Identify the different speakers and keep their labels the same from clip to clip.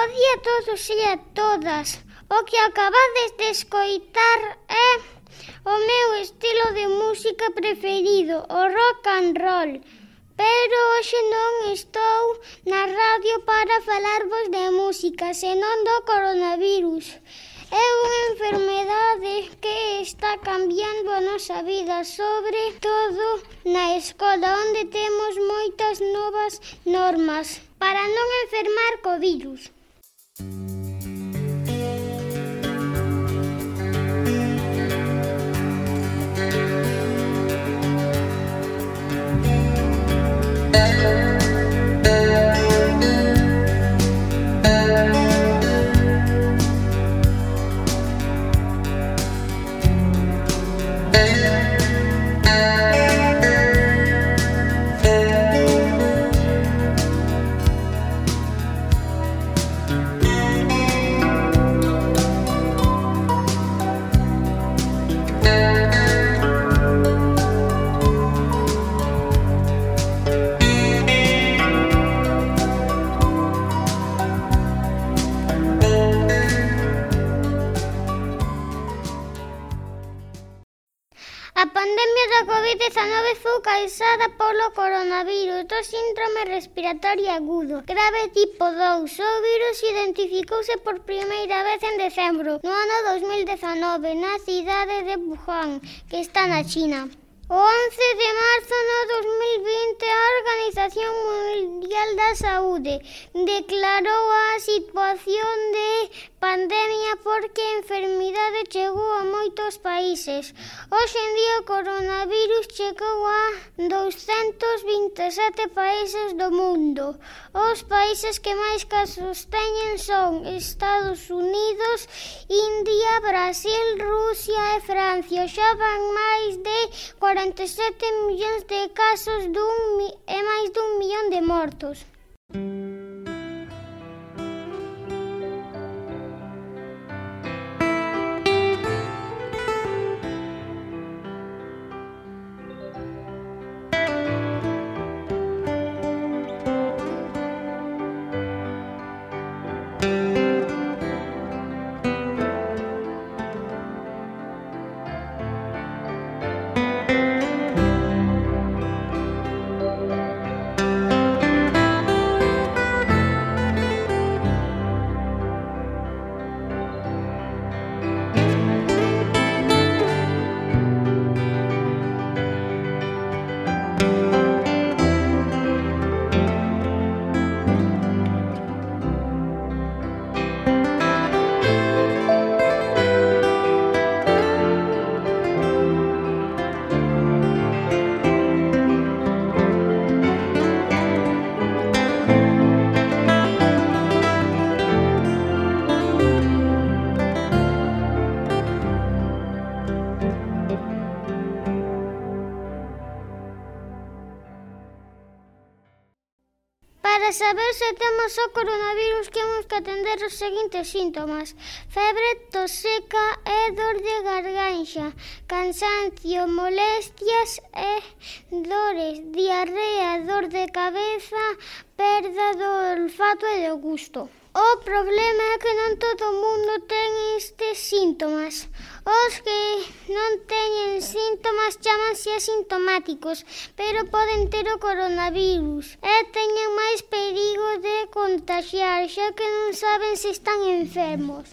Speaker 1: día a todos e a todas. O que acabades de escoitar é o meu estilo de música preferido, o rock and roll. Pero hoxe non estou na radio para falarvos de música, senón do coronavirus. É unha enfermedade que está cambiando a nosa vida, sobre todo na escola, onde temos moitas novas normas para non enfermar co virus. A pandemia da COVID-19 foi causada polo coronavirus do síndrome respiratorio agudo, grave tipo 2. O virus identificouse por primeira vez en decembro, no ano 2019, na cidade de Wuhan, que está na China. O 11 de marzo de 2020, a Organización Mundial da Saúde declarou a situación de pandemia porque a enfermidade chegou a moitos países. Hoxe en día o coronavirus chegou a 227 países do mundo. Os países que máis casos teñen son Estados Unidos, India, Brasil, Rusia e Francia. Xa van máis de 47 millóns de casos e máis dun millón de mortos. Para saber se temos o coronavirus, temos que atender os seguintes síntomas: febre, tos seca e dor de garganxa, cansancio, molestias e dores, diarrea, dor de cabeza, perda do olfato e do gusto. O problema é que non todo o mundo ten estes síntomas. Os que non teñen síntomas chámanse asintomáticos, pero poden ter o coronavirus e teñen máis perigo de contaxiar, xa que non saben se están enfermos.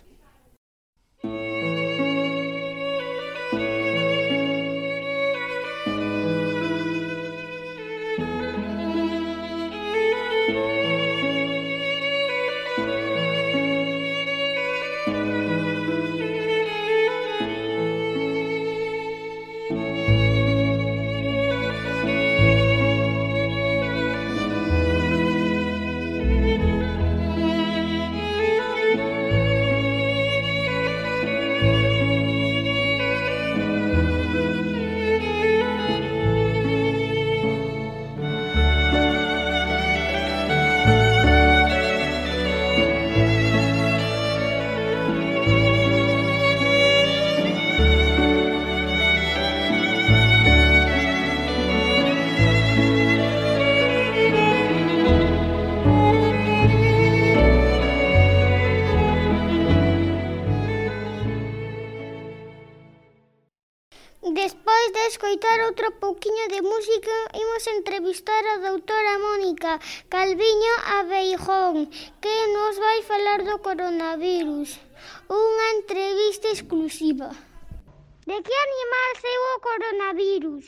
Speaker 1: entrevistar a doutora Mónica Calviño Abeijón, que nos vai falar do coronavirus. Unha entrevista exclusiva. De que animal saiu o coronavirus?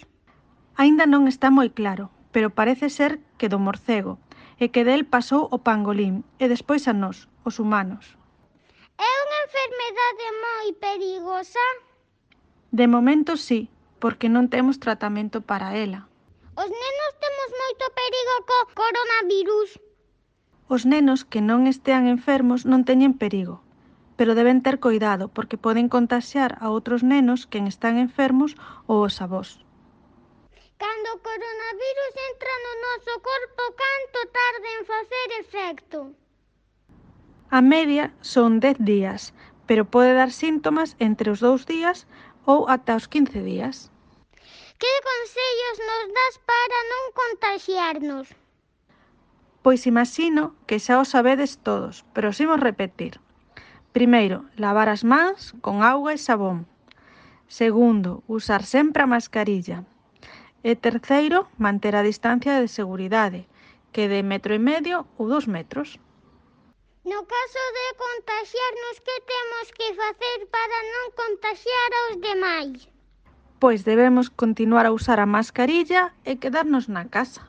Speaker 2: Aínda non está moi claro, pero parece ser que do morcego, e que del pasou o pangolín, e despois a nós, os humanos.
Speaker 1: É unha enfermedade moi perigosa?
Speaker 2: De momento sí, porque non temos tratamento para ela.
Speaker 1: Os nenos temos moito perigo co coronavirus?
Speaker 2: Os nenos que non estean enfermos non teñen perigo, pero deben ter cuidado porque poden contaxiar a outros nenos que están enfermos ou os avós.
Speaker 1: Cando o coronavirus entra no noso corpo, canto tarda en facer efecto?
Speaker 2: A media son 10 días, pero pode dar síntomas entre os 2 días ou ata os 15 días.
Speaker 1: Que consellos nos das para non contaxiarnos?
Speaker 2: Pois imagino que xa o sabedes todos, pero os imos repetir. Primeiro, lavar as mans con auga e sabón. Segundo, usar sempre a mascarilla. E terceiro, manter a distancia de seguridade, que de 1,5 metros ou 2 metros.
Speaker 1: No caso de contaxiarnos, que temos que facer para non contaxiar aos demais?
Speaker 2: Pois debemos continuar a usar a mascarilla e quedarnos na casa.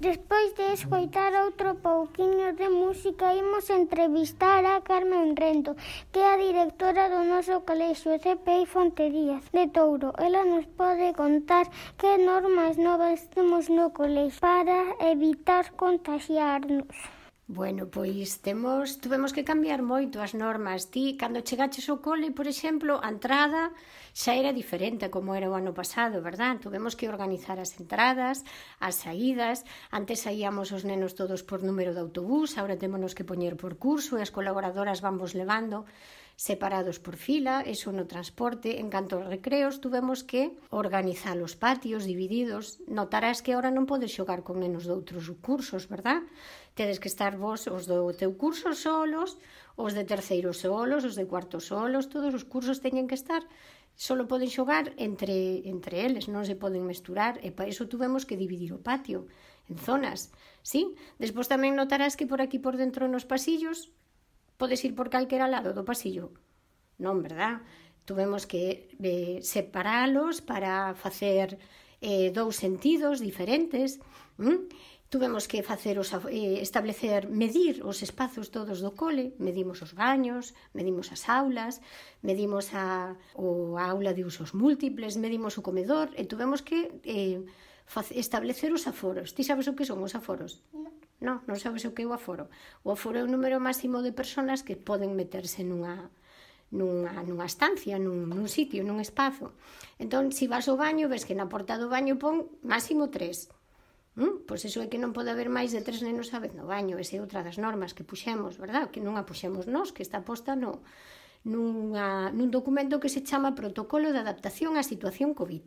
Speaker 1: Despois de escoitar outro pouquiño de música, imos entrevistar a Carmen Rento, que é a directora do noso colexio CPI Fonte Díaz de Touro. Ela nos pode contar que normas novas temos no colexio para evitar contaxiarnos.
Speaker 3: Bueno, pois tuvemos que cambiar moito as normas. Ti, cando chegaches ao cole, por exemplo, a entrada xa era diferente como era o ano pasado, verdad? Tuvemos que organizar as entradas, as saídas. Antes saíamos os nenos todos por número de autobús, agora témonos que poñer por curso e as colaboradoras vamos levando separados por fila, eso no transporte. En canto aos recreos, tuvemos que organizar os patios divididos. Notarás que agora non podes xogar con nenos de outros cursos, verdad? Tedes que estar vos, os do teu curso solos, os de terceiro solos, os de cuarto solos, todos os cursos teñen que estar, solo poden xogar entre eles, non se poden mesturar, e para iso tuvemos que dividir o patio en zonas, sí? Despois tamén notarás que por aquí por dentro nos pasillos podes ir por calquera lado do pasillo. Non, verdad? Tuvemos que separalos para facer dous sentidos diferentes. Tuvemos que medir os espazos todos do cole, medimos os baños, medimos as aulas, medimos a aula de usos múltiples, medimos o comedor, e tuvemos que establecer os aforos. Ti sabes o que son os aforos? Non sabes o que é o aforo. O aforo é o número máximo de persoas que poden meterse nunha estancia, nun sitio, nun espazo. Entón, se vas ao baño, ves que na porta do baño pon máximo 3. Pois iso é que non pode haber máis de 3 nenos a vez no baño. Esa é outra das normas que puxemos, verdad? Que non a puxemos nós, que está posta nun documento que se chama Protocolo de Adaptación á Situación COVID.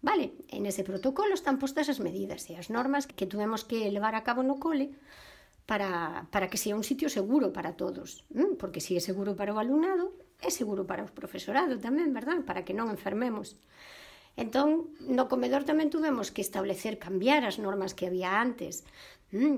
Speaker 3: Vale, en ese protocolo están postas as medidas e as normas que tuvemos que levar a cabo no cole para que sea un sitio seguro para todos. Porque se é seguro para o alumnado, é seguro para o profesorado tamén, verdad? Para que non enfermemos. Entón, no comedor tamén tuvemos que cambiar as normas que había antes.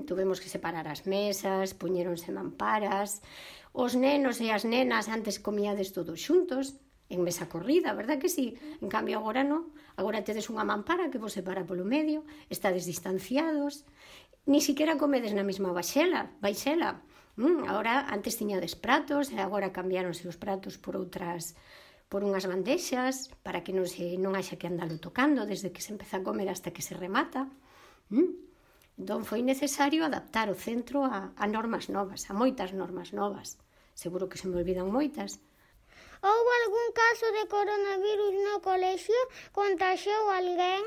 Speaker 3: Tuvemos que separar as mesas, poñéronse mamparas. Os nenos e as nenas antes comíades todos xuntos, en mesa corrida, verdad que sí? En cambio, agora non. Agora tedes unha mampara que vos separa polo medio, estades distanciados, ni siquiera comedes na mesma baixela. Agora, antes tiñades pratos, e agora cambiáronse os pratos por unhas bandexas, para que non haxa que andalo tocando desde que se empeza a comer hasta que se remata. Entón foi necesario adaptar o centro a normas novas, a moitas normas novas. Seguro que se me olvidan moitas.
Speaker 1: Houbo algún caso de coronavirus no colexio? Contaxiou alguén?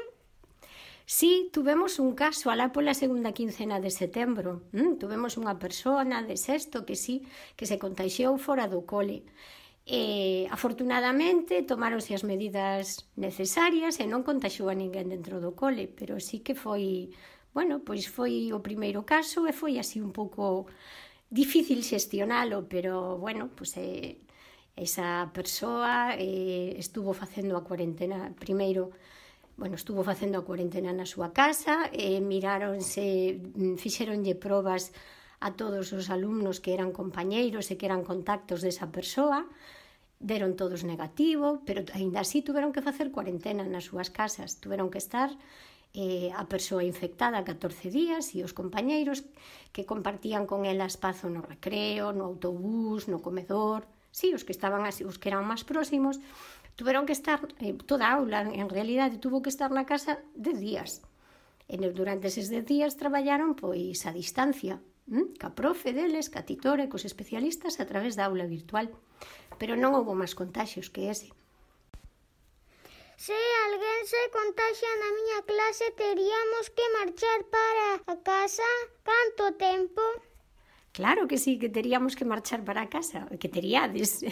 Speaker 3: Sí, tuvemos un caso alá pola segunda quincena de setembro. Tuvemos unha persona de sexto que sí, que se contaxiou fora do cole. Afortunadamente tomáronse as medidas necesarias e non contaxiou a ninguén dentro do cole, pero sí que foi, pois foi o primeiro caso e foi así un pouco difícil xestionalo, pero pois esa persoa estuvo facendo a cuarentena primeiro. Estuvo facendo a cuarentena na súa casa, fixéronlle probas a todos os alumnos que eran compañeiros e que eran contactos desa persoa, deron todos negativo, pero aínda así tuveron que facer cuarentena nas súas casas, tuveron que estar a persoa infectada 14 días e os compañeiros que compartían con ela espazo no recreo, no autobús, no comedor, sí, os que eran máis próximos, tuveron que estar, toda a aula en realidade tuvo que estar na casa 10 días. E durante eses 10 días traballaron pois a distancia, ca profe deles, ca titore, cos especialistas a través da aula virtual. Pero non houbo máis contaxios que ese.
Speaker 1: Se alguén se contaxia na miña clase, teríamos que marchar para a casa? Canto tempo?
Speaker 3: Claro que sí, que teríamos que marchar para casa, que teríades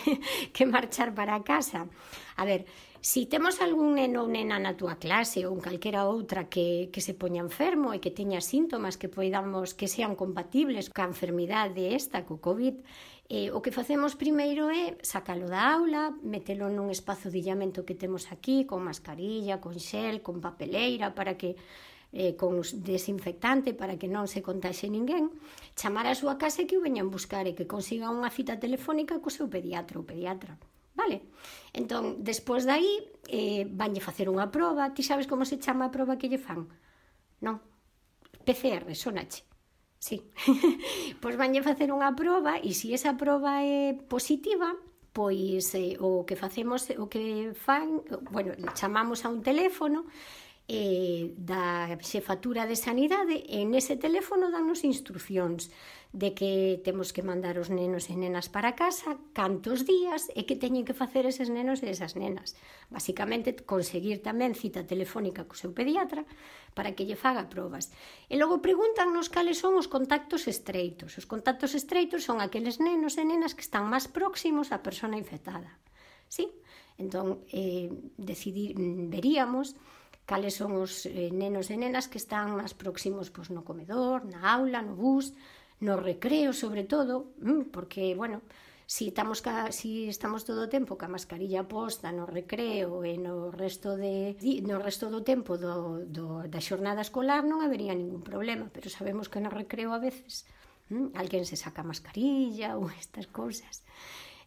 Speaker 3: que marchar para casa. A ver, si temos algún neno ou nena na túa clase ou en calquera outra que se poña enfermo e que teña síntomas que poidamos que sean compatibles ca enfermidade esta, co COVID, o que facemos primeiro é sacalo da aula, metelo nun espazo de illamento que temos aquí, con mascarilla, con xel, con papeleira, para que con desinfectante para que non se contaxe ninguén, chamar a súa casa e que o veñan buscar e que consiga unha cita telefónica co seu pediatra ou pediatra. Vale? Entón, despois dai, vanlle facer unha proba. Ti sabes como se chama a proba que lle fan? Non? PCR, sonache. Sí. Pois vanlle facer unha proba e se esa proba é positiva, pois o que facemos, o que fan, chamamos a un teléfono da xefatura de sanidade e nese teléfono dannos instruccións de que temos que mandar os nenos e nenas para casa, cantos días e que teñen que facer eses nenos e esas nenas. Basicamente, conseguir tamén cita telefónica co seu pediatra para que lle faga probas. E logo pregúntannos cales son os contactos estreitos. Os contactos estreitos son aqueles nenos e nenas que están máis próximos á persona infectada. Sí? Entón, veríamos cales son os nenos e nenas que están máis próximos no comedor, na aula, no bus, no recreo, sobre todo, porque, si estamos todo o tempo ca mascarilla posta no recreo e no resto do tempo da xornada escolar non habería ningún problema, pero sabemos que no recreo a veces alguén se saca a mascarilla ou estas cousas.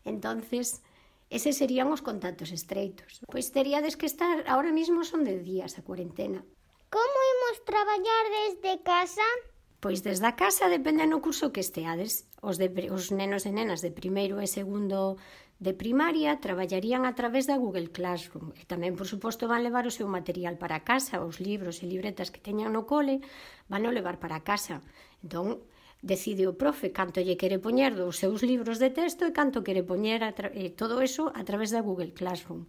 Speaker 3: Entonces, eses serían os contactos estreitos. Pois teríades que estar, ahora mismo son 10 días a cuarentena.
Speaker 1: Como imos traballar desde casa?
Speaker 3: Pois desde a casa depende no curso que esteades. Os nenos e nenas de primeiro e segundo de primaria traballarían a través da Google Classroom e tamén, por suposto, van levar o seu material para casa, os libros e libretas que teñan no cole van o levar para casa. Entón, decide o profe canto lle quere poñer dos seus libros de texto e canto quere poñer todo eso a través da Google Classroom.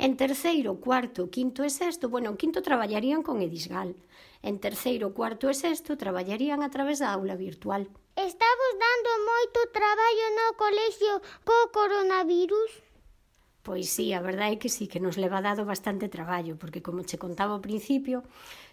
Speaker 3: En terceiro, cuarto, quinto e sexto, en quinto traballarían con Edisgal. En terceiro, cuarto e sexto traballarían a través da aula virtual.
Speaker 1: Estamos dando moito traballo no colexio co coronavirus?
Speaker 3: Pois sí, a verdade é que sí, que nos leva dado bastante traballo, porque como che contaba ao principio,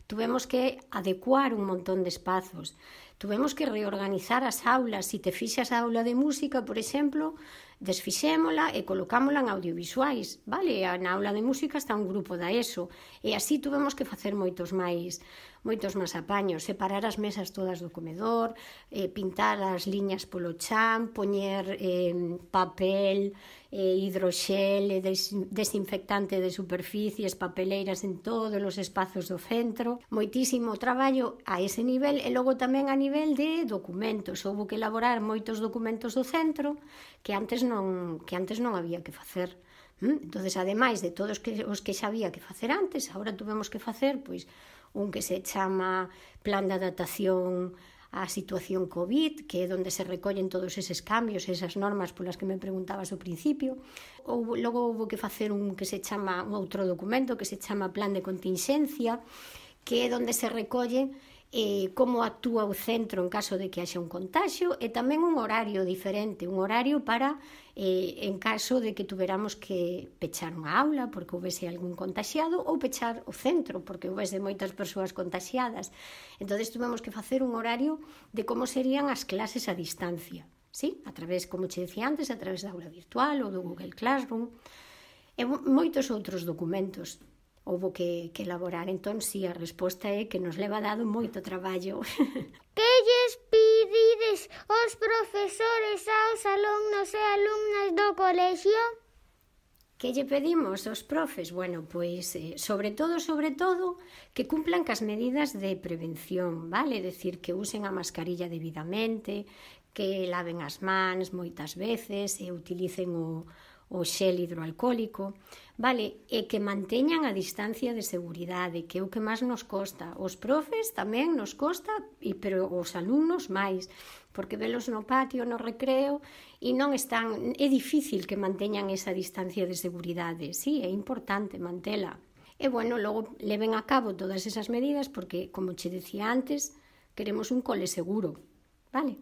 Speaker 3: tuvemos que adecuar un montón de espazos. Tuvemos que reorganizar as aulas. Se te fixas a aula de música, por exemplo, desfixémola e colocámola en audiovisuais, vale? Na aula de música está un grupo da ESO e así tuvemos que facer moitos máis apaños, separar as mesas todas do comedor, pintar as liñas polo chan, poñer papel, hidroxel, desinfectante de superficies, papeleiras en todos os espazos do centro. Moitísimo traballo a ese nivel e logo tamén a nivel de documentos. Houbo que elaborar moitos documentos do centro que antes non había que facer. Entonces, ademais de todos os que xa había que facer antes, agora tuvemos que facer un que se chama Plan de Adaptación á situación COVID, que é onde se recollen todos eses cambios, esas normas polas que me preguntabas ao principio. Logo houve que facer un outro documento que se chama Plan de Contingencia, que é onde se recolle como actúa o centro en caso de que haxa un contagio, e tamén un horario diferente, un horario para en caso de que tuveramos que pechar unha aula porque houvese algún contaxiado, ou pechar o centro porque houvese moitas persoas contaxiadas. Entón, tuvemos que facer un horario de como serían as clases a distancia, ¿sí? A través, como che decía antes, a través da aula virtual ou do Google Classroom, e moitos outros documentos houve que elaborar. Entón, si, a resposta é que nos leva dado moito traballo.
Speaker 1: Que lles pedides aos profesores, aos alumnos e alumnas do colexio?
Speaker 3: Que lle pedimos aos profes? Bueno, pois, sobre todo, que cumplan cas medidas de prevención, vale? É dicir, que usen a mascarilla debidamente, que laven as mans moitas veces e utilicen o xel hidroalcohólico, vale? E que manteñan a distancia de seguridade, que é o que máis nos costa. Os profes tamén nos costa, pero os alumnos máis, porque velos no patio, no recreo, e non están, é difícil que manteñan esa distancia de seguridade. Sí, é importante mantela. E, bueno, logo leven a cabo todas esas medidas porque, como che decía antes, queremos un cole seguro, vale?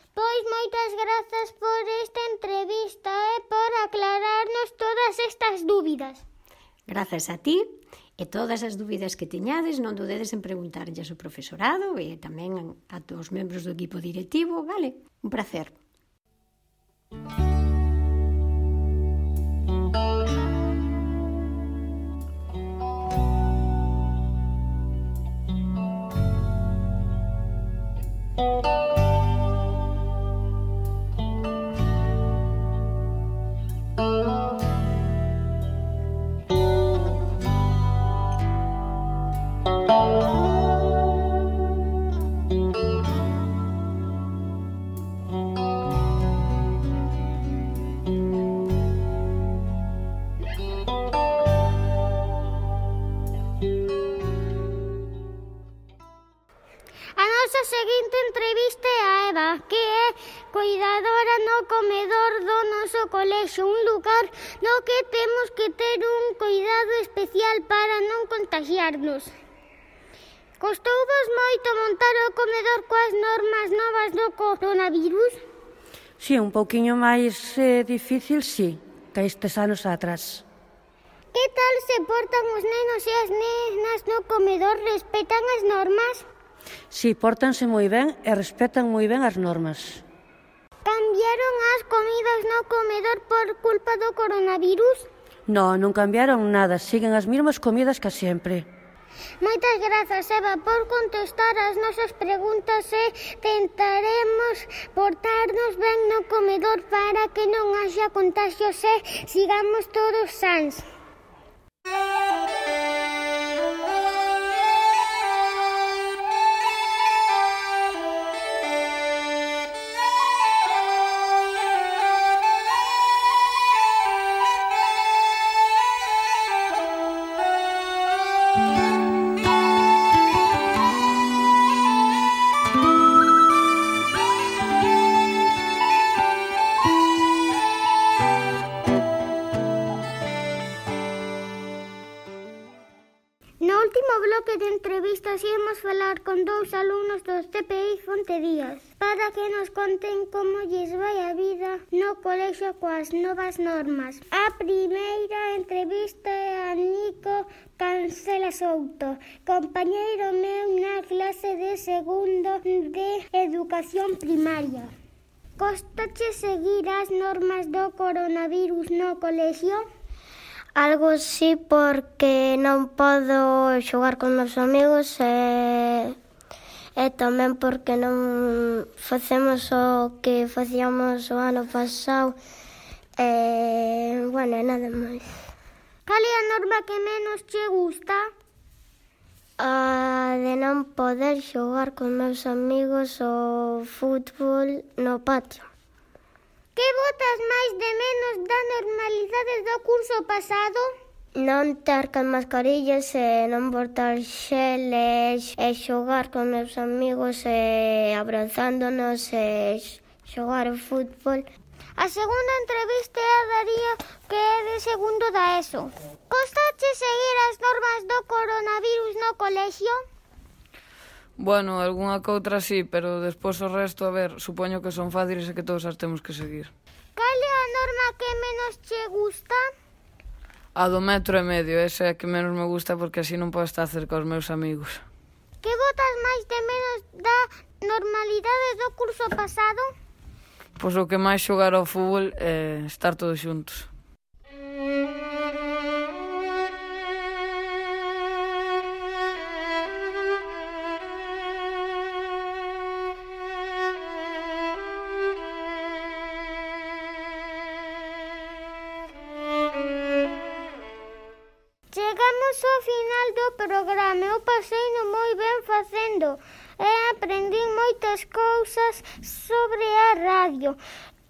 Speaker 1: Pois moitas grazas por esta entrevista e por aclararnos todas estas dúbidas.
Speaker 3: Grazas a ti, e todas as dúbidas que teñades non dudedes en preguntarlles ao profesorado e tamén a todos os membros do equipo directivo, vale? Un placer.
Speaker 1: A seguinte entrevista é a Eva, que é cuidadora no comedor do noso colexio, un lugar no que temos que ter un cuidado especial para non contagiarnos. Costouvos moito montar o comedor coas normas novas do coronavirus?
Speaker 4: Si, un pouquiño máis difícil, si, que estes anos atrás.
Speaker 1: Que tal se portan os nenos e as nenas no comedor? Respetan as normas?
Speaker 4: Si, pórtanse moi ben e respetan moi ben as normas.
Speaker 1: Cambiaron as comidas no comedor por culpa do coronavirus?
Speaker 4: Non cambiaron nada, siguen as mesmas comidas que sempre.
Speaker 1: Moitas grazas, Eva, por contestar as nosas preguntas e tentaremos portarnos ben no comedor para que non haxa contagios e sigamos todos sans. No último bloque de entrevistas íamos falar con dous alumnos do CPI Fonte Díaz para que nos conten como lles vai a vida no colexio coas novas normas. A primeira entrevista é a Nico Cancela Souto, compañeiro meu na clase de segundo de educación primaria. Costache seguir as normas do coronavirus no colexio?
Speaker 5: Algo sí, porque non podo xogar con meus amigos e tamén porque non facemos o que facíamos o ano pasado bueno, nada máis.
Speaker 1: Cal é a norma que menos che gusta?
Speaker 5: A de non poder xogar con meus amigos o fútbol no patio.
Speaker 1: Que botas máis de menos da normalidade do curso pasado?
Speaker 5: Non ter con mascarillas e non botar xel e xogar con meus amigos e abrazándonos e xogar o fútbol.
Speaker 1: A segunda entrevista é a Darío, que é de segundo da ESO. Costache seguir as normas do coronavirus no colexio?
Speaker 6: Bueno, algunha que outra sí, pero despois o resto, a ver, supoño que son fáciles e que todos as temos que seguir.
Speaker 1: Cal é a norma que menos che gusta?
Speaker 6: A do 1,5 metro, esa é a que menos me gusta porque así non podo estar cerca aos meus amigos.
Speaker 1: Que botas máis de menos da normalidade do curso pasado?
Speaker 6: Pois o que máis xogar ao fútbol é estar todos xuntos.
Speaker 1: Chegamos ao final do programa. Eu paseino moi ben facendo e aprendín moitas cousas sobre a radio,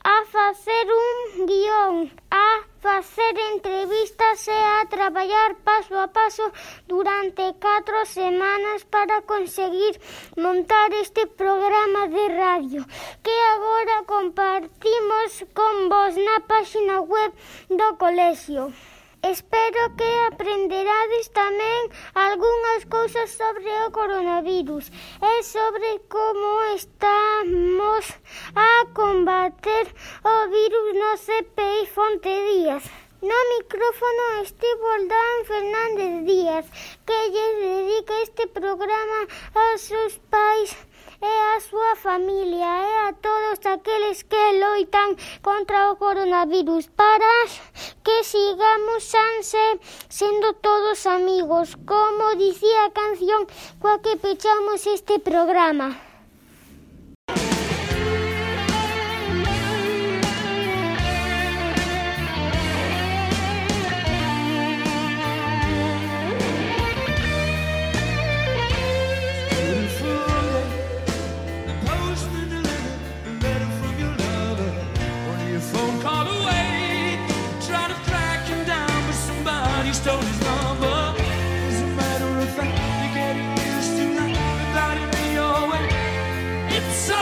Speaker 1: a facer un guión, a facer entrevistas e a traballar paso a paso durante 4 semanas para conseguir montar este programa de radio que agora compartimos con vos na página web do colexio. Espero que aprenderades tamén algunhas cousas sobre o coronavirus e sobre como estamos a combater o virus no CPI Fonte Díaz. No micrófono estivo Dan Fernández Díaz, que lle dedica este programa aos seus pais e a súa familia e a todos aqueles que loitan contra o coronavirus para que sigamos sans sendo todos amigos, como dicía a canción coa que pechamos este programa.
Speaker 7: It's so